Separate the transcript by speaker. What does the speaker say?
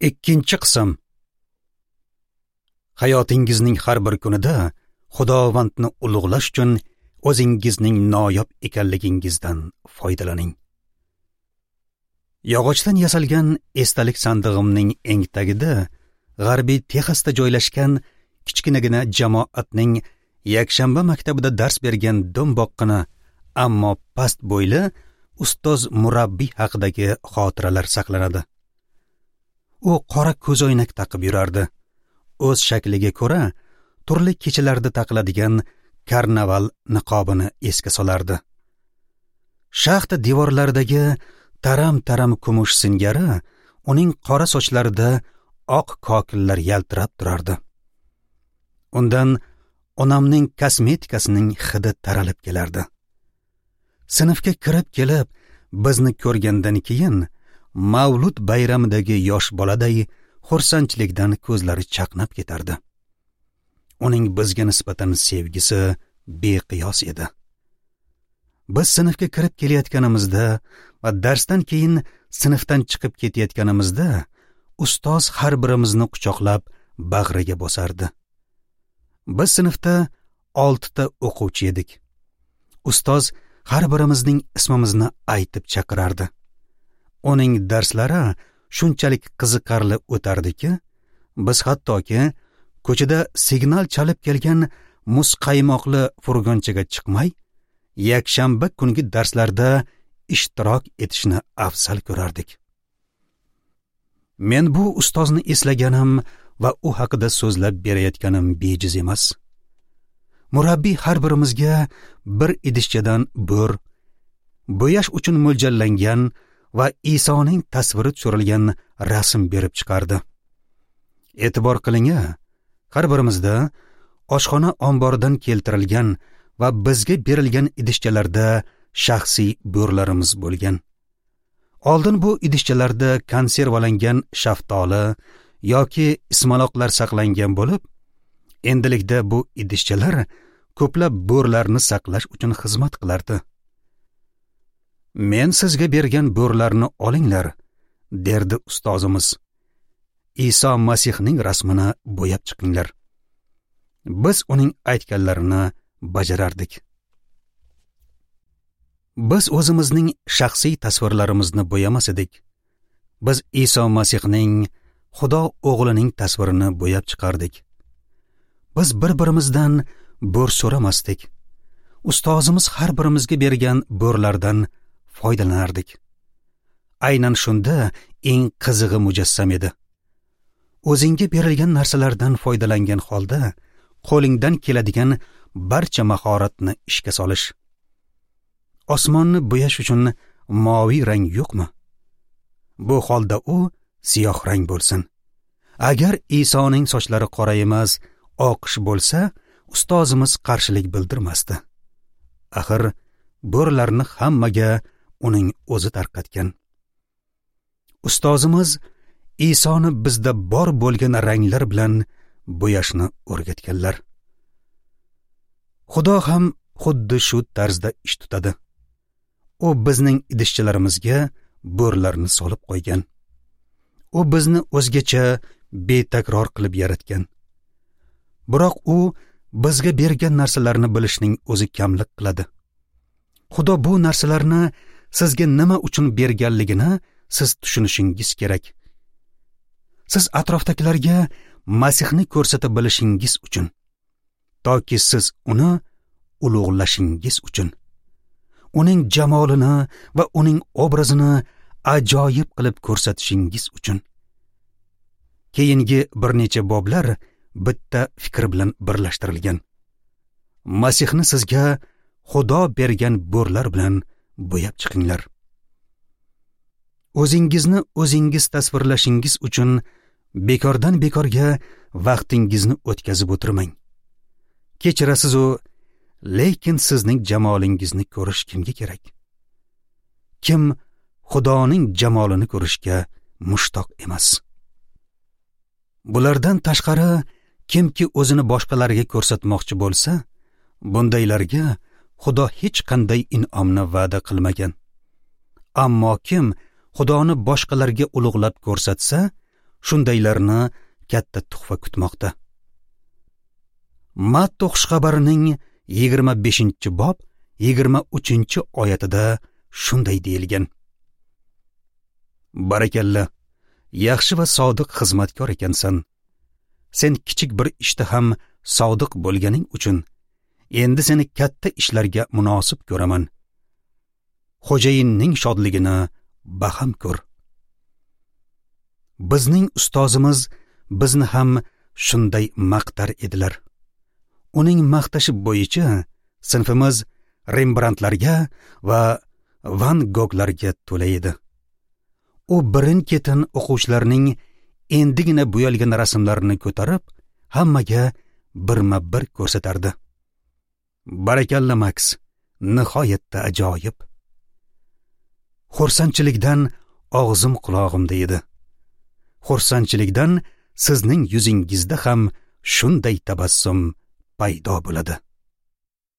Speaker 1: Ikkinchi qism. Hayotingizning har bir kunida Xudovandni ulug'lash uchun o'zingizning noyob ekanligingizdan foydalaning. Yog'ochdan yasalgan esdalik sandig'imning eng tagida G'arbiy Texasda joylashgan kichkinagina jamoatning yakshanba maktabida dars bergan do'mboqqina, ammo past bo'yli ustoz murabbiy haqidagi xotiralar saqlanadi. U qora ko'zoynak taqib yurardi. O'z shakliga ko'ra turli kechalarda taqiladigan karnaval niqobini esga solardi. Shaxta devorlaridagi taram-taram kumush singari uning qora sochlarida oq kokillar yaltirab turardi. Undan onamning kosmetikasining hidi taralib kelardi. Sinfga kirib kelib, bizni ko'rgandan keyin Mavlud bayramidagi yosh boladay xursandchilikdan ko'zlari chaqnab ketardi. Uning bizga nisbatan sevgisi beqiyos edi. Biz sinfga kirib kelayotganimizda va darsdan keyin sinfdan chiqib ketayotganimizda ustoz har birimizni quchoqlab bag'riga bosardi. Biz sinfda 6 ta o'quvchi edik. Ustoz har birimizning ismimizni aytib chaqirardi. Uning darslari shunchalik qiziqarli o'tardiki, biz hattoki ko'chada signal chalib kelgan muzqaymoqli furgonchaga chiqmay, yakshanba kungi darslarda ishtirok etishni afzal ko'rardik. Men bu ustozni eslaganim va u haqida so'zlab berayotganim bejiz emas. Murabbiy har birimizga bir idishchadan bo'r, bo'yash uchun mo'ljallangan va Isoning tasviri tushirilgan rasm berib chiqardi. E'tibor qiling-a, har birimizda oshxona omboridan keltirilgan va bizga berilgan idishchalarda shaxsiy bo'rlarimiz bo'lgan. Oldin bu idishchalarda konservalangan shaftoli yoki ismaloqlar saqlangan bo'lib, endilikda bu idishchalar ko'plab bo'rlarni saqlash uchun xizmat qilardi. Men sizga bergan bo'rlarni olinglar, derdi ustozimiz. Iso Masihning rasmini bo'yab chiqinglar. Biz uning aytganlarini bajarardik. Biz o'zimizning shaxsiy tasvirlarimizni bo'yamas edik. Biz Iso Masihning, Xudo o'g'lining tasvirini bo'yab chiqardik. Biz bir-birimizdan bo'r so'ramasdik. Ustozimiz har birimizga bergan bo'rlardan foydalanardik. Aynan shunda eng qizig'i mujassam edi. O'zingga berilgan narsalardan foydalangan holda qo'lingdan keladigan barcha mahoratni ishga solish. Osmonni bo'yash uchun moviy rang yo'qmi? Bu holda u siyoh rang bo'lsin. Agar Isoning sochlari qora emas, oqish bo'lsa, ustozimiz qarshilik bildirmasdi. Axir bo'rlarni hammaga uning o'zi tarqatgan. Ustozimiz Isoni bizda bor bo'lgan ranglar bilan bo'yashni o'rgatganlar. Xudo ham xuddi shu tarzda ish tutadi. U bizning idishchalarimizga bo'rlarni solib qo'ygan. U bizni o'zgacha betakror qilib yaratgan. Biroq u bizga bergan narsalarni bilishning o'zi kamlik qiladi. Xudo bu narsalarni sizga nima uchun berganligini siz tushunishingiz kerak. Siz atrofdagilarga Masihni ko'rsata bilishingiz uchun, toki siz uni ulug'lashingiz uchun, uning jamolini va uning obrazini ajoyib qilib ko'rsatishingiz uchun. Keyingi bir necha boblar bitta fikr bilan birlashtirilgan. Masihni sizga Xudo bergan bo'rlar bilan bo'yab chiqinglar. O'zingizni o'zingiz tasvirlashingiz uchun bekordan bekorga vaqtingizni o'tkazib o'tirmang. Kechirasiz u, lekin sizning jamolingizni ko'rish kimga kerak? Kim Xudoning jamolini ko'rishga mushtoq emas? Bulardan tashqari, kimki o'zini boshqalarga ko'rsatmoqchi bo'lsa, bundaylarga Xudo hech qanday in'omni va'da qilmagan. Ammo kim Xudoni boshqalarga ulug'lab ko'rsatsa, Shundaylarni katta tuhfa kutmoqda. Matto xushxabarining 25-bob 23-oyatida shunday deyilgan: Barakalla, yaxshi va sodiq xizmatkor ekansan. Sen kichik bir ishda ham sodiq bo'lganing uchun endi seni katta ishlarga munosib ko'raman. Xo'jayinning shodligini baham ko'r. Bizning ustozimiz bizni ham shunday maqtar edilar. Uning maqtashi bo'yicha sinfimiz Rembrandtlarga va Van Goglarga to'la edi. U birin-ketin o'quvchilarning endigina bo'yalgan rasmlarini ko'tarib, hammaga birma-bir ko'rsatardi. Barakalla, Max, nihoyatda ajoyib. Xursandchilikdan og'zim qulog'imda edi. Xursandchilikdan sizning yuzingizda ham shunday tabassum paydo bo'ladi.